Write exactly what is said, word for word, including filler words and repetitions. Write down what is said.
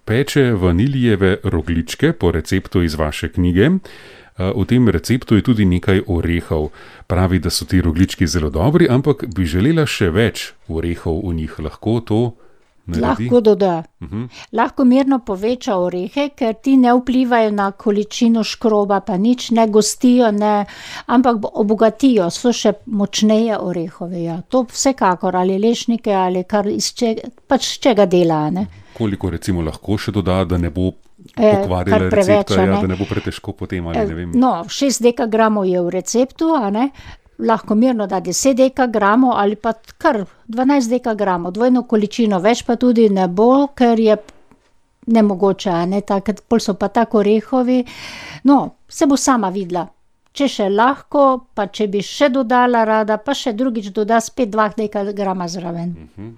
peče vanilijeve rogljičke po receptu iz vaše knjige. V tem receptu je tudi nekaj orehov. Pravi, da so ti rogljički zelo dobri, ampak bi želela še več orehov v njih. Lahko to naredi? Lahko doda. Uh-huh. Lahko mirno poveča orehe, ker ti ne vplivajo na količino škroba, pa nič, ne gostijo, ne, ampak obogatijo, so še močneje orehove. Ja. To vsekakor, ali lešnike, ali kar iz čega, pač z čega dela. Ne. Koliko recimo lahko še doda, da ne bo kar pokvarila preveč, recepta, ja, ne. da ne bo pretežko potem, ali ne vem. No, šest dekagramov je v receptu, a ne. Lahko mirno da deset dekagramov ali pa kar dvanajst dekagramov, dvojno količino, več pa tudi ne bo, ker je nemogoče, a ne, tak, pol so pa tako orehovi. No, se bo sama videla. Če še lahko, pa če bi še dodala rada, pa še drugič doda spet dva dekagrama zraven. Uh-huh.